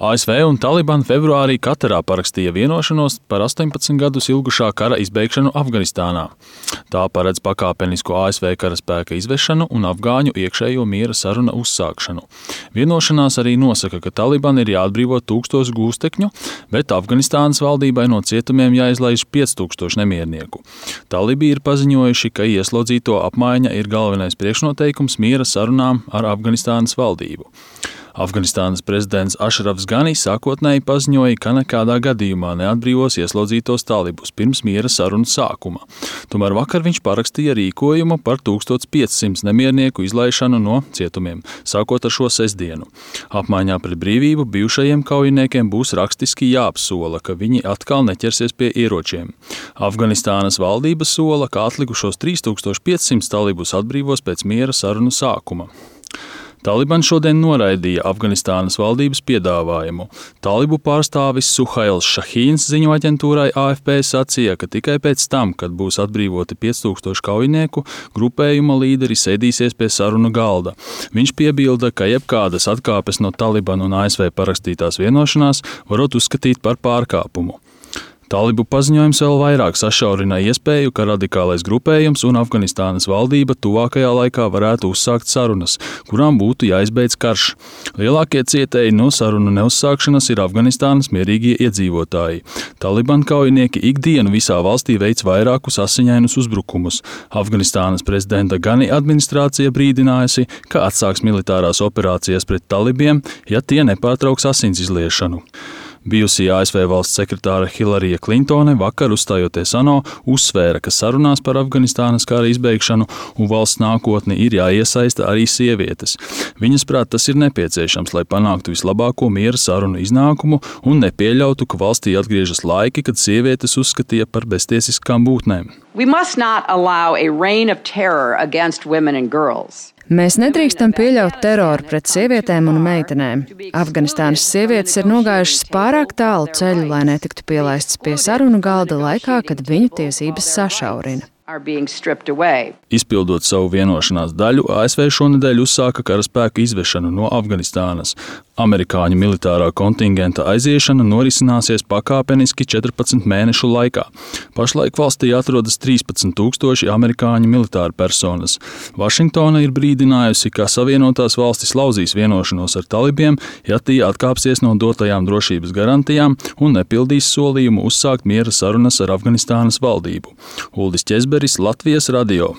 ASV un Taliban februārī Katarā parakstīja vienošanos par 18 gadus ilgušā kara izbeigšanu Afganistānā. Tā paredz pakāpenisku ASV karaspēka izvešanu un afgāņu iekšējo miera saruna uzsākšanu. Vienošanās arī nosaka, ka Taliban ir jāatbrīvo 1000 gūstekņu, bet Afganistānas valdībai no cietumiem jāizlaiž 5000 nemiernieku. Talibi ir paziņojuši, ka ieslodzīto apmaiņa ir galvenais priekšnoteikums miera sarunām ar Afganistānas valdību. Afganistānas prezidents Ašrafs Gani sākotnēji paziņoja, ka nekādā gadījumā neatbrīvos ieslodzītos talibus pirms miera sarunu sākuma. Tomēr vakar viņš parakstīja rīkojumu par 1500 nemiernieku izlaišanu no cietumiem, sākot ar šo sestdienu. Apmaiņā pret brīvību bijušajiem kaujiniekiem būs rakstiski jāapsola, ka viņi atkal neķersies pie ieročiem. Afganistānas valdība sola, ka atlikušos 3500 talibus atbrīvos pēc miera sarunu sākuma. Taliban šodien noraidīja Afganistānas valdības piedāvājumu. Talibu pārstāvis Suhails Šahīns ziņu aģentūrai AFP sacīja, ka tikai pēc tam, kad būs atbrīvoti 5000 kaujinieku, grupējuma līderi sēdīsies pie sarunu galda. Viņš piebilda, ka jebkādas atkāpes no Taliban un ASV parakstītās vienošanās varot uzskatīt par pārkāpumu. Talibu paziņojums vēl vairāk sašaurina iespēju, ka radikālais grupējums un Afganistānas valdība tuvākajā laikā varētu uzsākt sarunas, kurām būtu jāizbeidz karš. Lielākie cietēji no sarunu neuzsākšanas ir Afganistānas mierīgie iedzīvotāji. Taliban kaujinieki ikdienu visā valstī veic vairākus asiņainus uzbrukumus. Afganistānas prezidenta Gani administrācija brīdinājusi, ka atsāks militārās operācijas pret talibiem, ja tie nepārtrauks asins izliešanu. Bijusī ASV valsts sekretāre Hillarija Klintone vakar uzstājoties ANO uzsvēra, ka sarunās par Afganistānas kara izbeigšanu un valsts nākotni ir jāiesaista arī sievietes. Viņas prāt tas ir nepieciešams, lai panāktu vislabāko miera sarunu iznākumu un nepieļautu, ka valstī atgriežas laiki, kad sievietes uzskatīja par beztiesiskām būtnēm. We must not allow a reign of terror against women and girls. Mēs nedrīkstam pieļaut teroru pret sievietēm un meitenēm. Afganistānas sievietes ir nogājušas pārāk tālu ceļu, lai netiktu pielaistas pie sarunu galda laikā, kad viņu tiesības sašaurina. Izpildot savu vienošanās daļu, ASV šonedēļ uzsāka karaspēka izvešanu no Afganistānas. Amerikāņu militārā kontingenta aiziešana norisināsies pakāpeniski 14 mēnešu laikā. Pašlaik valstī atrodas 13 000 amerikāņu militāru personas. Vašingtona ir brīdinājusi, ka Savienotās valstis lauzīs vienošanos ar talibiem, ja tie atkāpsies no dotajām drošības garantijām un nepildīs solījumu uzsākt miera sarunas ar Afganistānas valdību. Uldis Ķezberis, Latvijas radio.